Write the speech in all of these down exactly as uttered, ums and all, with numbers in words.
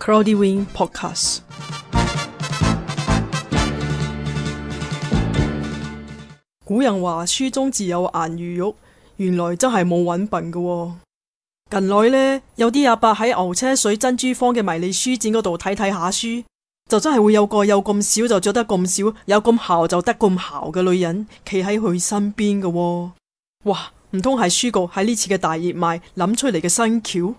Cloudy Wing Podcast。古人話書中自有顏如玉，原來真係冇揾笨㗎喎。近來呢，有啲阿伯喺牛車水珍珠坊嘅迷你書展嗰度睇睇下書，就真係會有個有咁少就着得咁少，有咁姣就得咁姣嘅女人企喺佢身邊㗎喎。哇！唔通係書局喺呢次嘅大熱賣諗出嚟嘅新橋？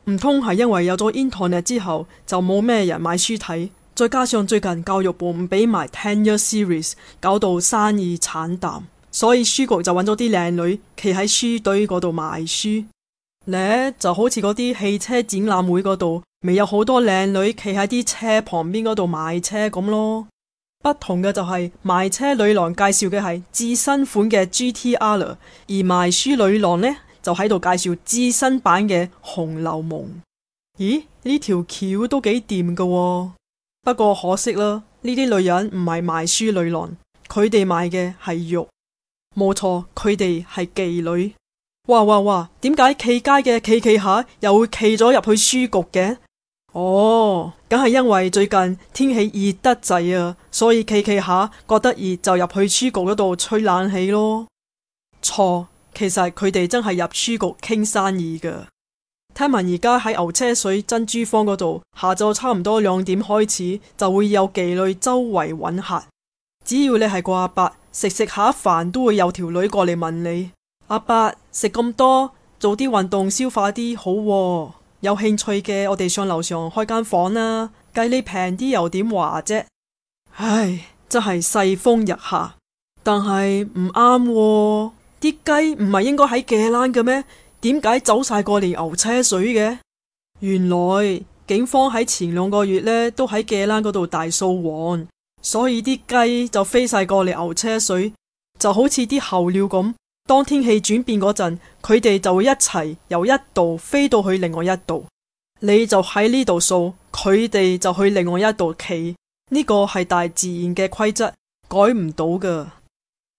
唔通係因為有咗 Internet 之後就冇咩人買書睇，再加上最近教育部唔俾埋 ten year series， 搞到生意慘淡，所以書局就揾咗啲靚女企喺書堆嗰度賣書呢，就好似嗰啲汽車展覽會嗰度未有好多靚女企喺啲車旁邊嗰度賣車咁咯。不同嘅就係賣車女郎介紹嘅係至新款嘅 G T R， 而賣書女郎呢就喺度介紹至新版嘅紅樓夢。咦？呢條橋都幾掂㗎喎。不過可惜啦，呢啲女人唔係賣書女郎，佢哋賣嘅係玉。冇錯，佢哋係妓女。哇哇哇！點解企街嘅企企下又會企咗入去書局嘅？哦，梗係因為最近天氣熱得滯啊，所以企企下覺得熱就入去書局嗰度吹冷氣咯。錯，其實佢哋真係入書局傾生意㗎。聽聞而家喺牛車水珍珠坊嗰度，下晝差唔多兩點開始就會有妓女周圍揾客。只要你係個阿伯，食食下飯都會有條女過嚟問你：阿伯，食咁多，做啲運動消化啲好喎。有興趣嘅，我哋上樓上開間房啦，計你平啲又點話啫？唉，真係世風日下，但係唔啱喎，啲雞唔係應該喺芥蘭嘅咩？點解走晒過嚟牛車水嘅？原來警方喺前兩個月呢都喺芥蘭嗰度大掃黃，所以啲雞就飛晒過嚟牛車水，就好似啲候鳥咁。當天氣轉變嗰陣，佢哋就會一齊由一度飛到去另外一度。你就喺呢度掃，佢哋就去另外一度企。呢個係大自然嘅規則，改唔到㗎。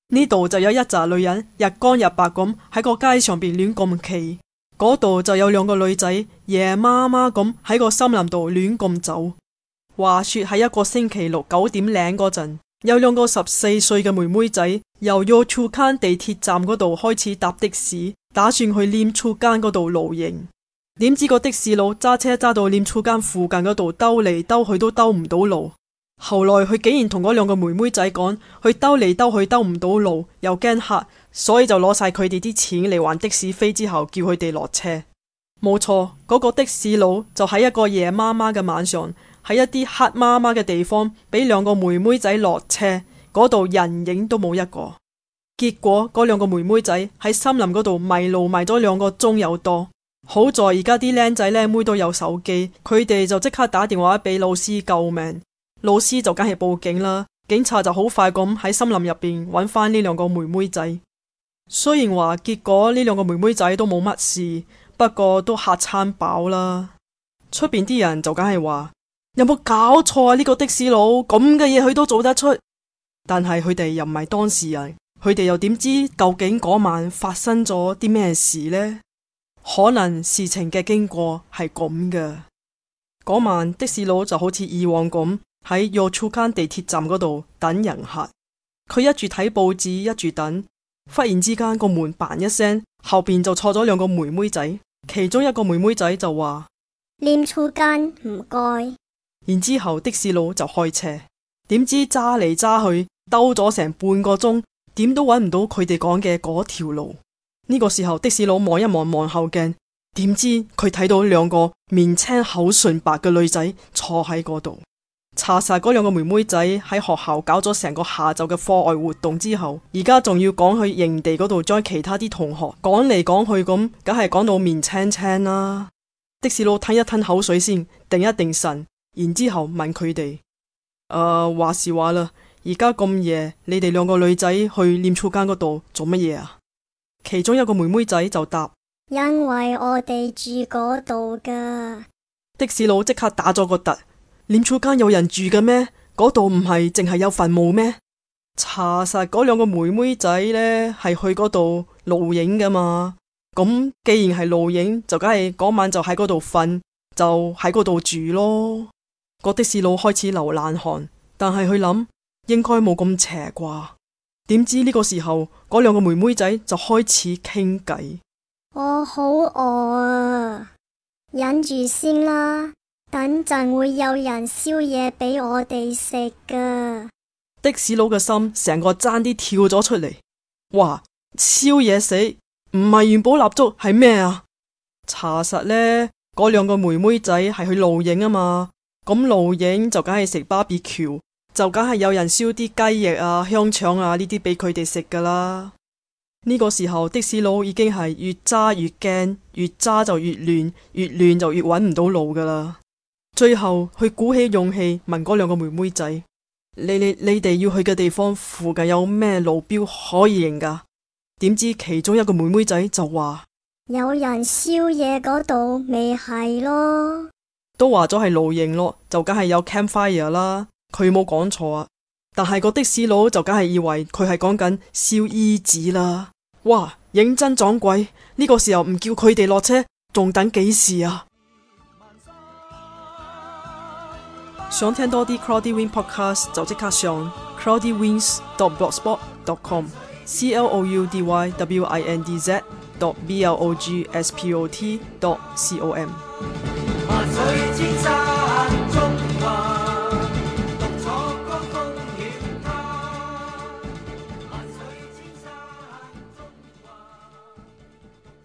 呢度就有一紮女人日光日白咁喺個街上邊亂咁企，嗰度就有兩個女仔夜媽媽咁喺個森林度亂咁走。話說喺一個星期六九點零嗰陣，有兩個十四歲嘅妹妹仔由 Yio Chu Kang 地鐵站嗰度開始搭的士，打算去Lim Chu Kang 嗰度露營。點知個的士佬揸車揸到Lim Chu Kang附近嗰度兜嚟兜去都兜唔到路。後來佢竟然同嗰兩個妹妹仔講，佢兜嚟兜去兜唔到路，又驚黑，所以就攞晒佢哋啲錢嚟還的士飛，之後叫佢哋落車。冇錯，嗰個的士佬就喺一個夜媽媽嘅晚上，喺一啲黑媽媽嘅地方俾兩個妹妹仔落車，嗰度人影都冇一個。結果嗰兩個妹妹仔喺森林嗰度迷路迷咗兩個鐘有多。好在而家啲靚仔靚妹都有手機，佢哋就即刻打電話俾老師救命。老師就梗係報警啦，警察就好快咁喺森林入邊揾翻呢兩個妹妹仔。雖然話結果呢兩個妹妹仔都冇乜事，不過都嚇餐飽啦。出邊啲人就梗係話：有冇搞錯啊？呢個的士佬咁嘅嘢佢都做得出。但係佢哋又唔係當事人，佢哋又點知究竟嗰晚發生咗啲咩事呢？可能事情嘅經過係咁嘅。嗰晚的士佬就好似以往咁喺 Yio Chu Kang 地鐵站嗰度等人客。佢一住睇報紙一住等，忽然之間個門嘭一聲，後邊就坐咗兩個妹妹仔。其中一個妹妹仔就話Lim Chu Kang唔該。然之後的士佬就開車，點知揸嚟揸去兜咗成半個鐘，點都揾唔到佢哋講嘅嗰條路。呢個時候的士佬望一望望後鏡，點知佢睇到兩個面青口唇白嘅女仔坐喺嗰度。查實嗰兩個妹妹仔喺學校搞咗成個下晝嘅課外活動之後，而家仲要趕去營地嗰度將其他啲同學趕嚟趕去咁，梗係講到面青青啦。的士佬吞一吞口水先，定一定神，然之後問佢哋：誒，話時話啦，而家咁夜，你哋兩個女仔去Lim Chu Kang嗰度做乜嘢啊？其中一個妹妹仔就答：因為我哋住嗰度㗎。的士佬即刻打咗個突。Lim Chu Kang有人住嘅咩？嗰度唔係淨係有墳墓咩？查實嗰兩個妹妹仔呢係去嗰度露營噶嘛。咁既然係露營，就梗係嗰晚就喺嗰度瞓。就喺嗰度住咯。個的士佬開始流冷汗，但係佢諗應該冇咁邪啩。點知呢個時候，嗰兩個妹妹仔就開始傾偈。我好餓啊，忍住先啦，等陣會有人燒嘢俾我哋食噶。的士佬嘅心成個爭啲跳咗出嚟，哇！燒嘢死，唔係元寶蠟燭係咩啊？查實呢，嗰兩個妹妹仔係去露營啊嘛，咁露營就梗係食 barbecue，就梗係有人燒啲雞翼啊、香腸啊呢啲俾佢哋食噶啦。呢個時候的士佬已經係越揸越驚，越揸就越亂，越亂就越揾唔到路噶啦。最後佢鼓起勇氣問嗰兩個妹妹仔：你你你哋要去嘅地方附近有咩路標可以認噶？點知其中一個妹妹仔就話：有人燒嘢嗰度咪係咯，都話咗係露營咯，就梗係有 campfire 啦。佢冇講錯啊，但係個的士佬就梗係以為佢係講緊燒衣紙啦。哇，認真撞鬼！呢個時候唔叫佢哋落車，仲等幾時啊？想聽多啲 Cloudy Wing Podcast 就即刻上 cloudy wings dot blogspot dot com c l o u d y w i n d z dot b l o g s p o t dot com。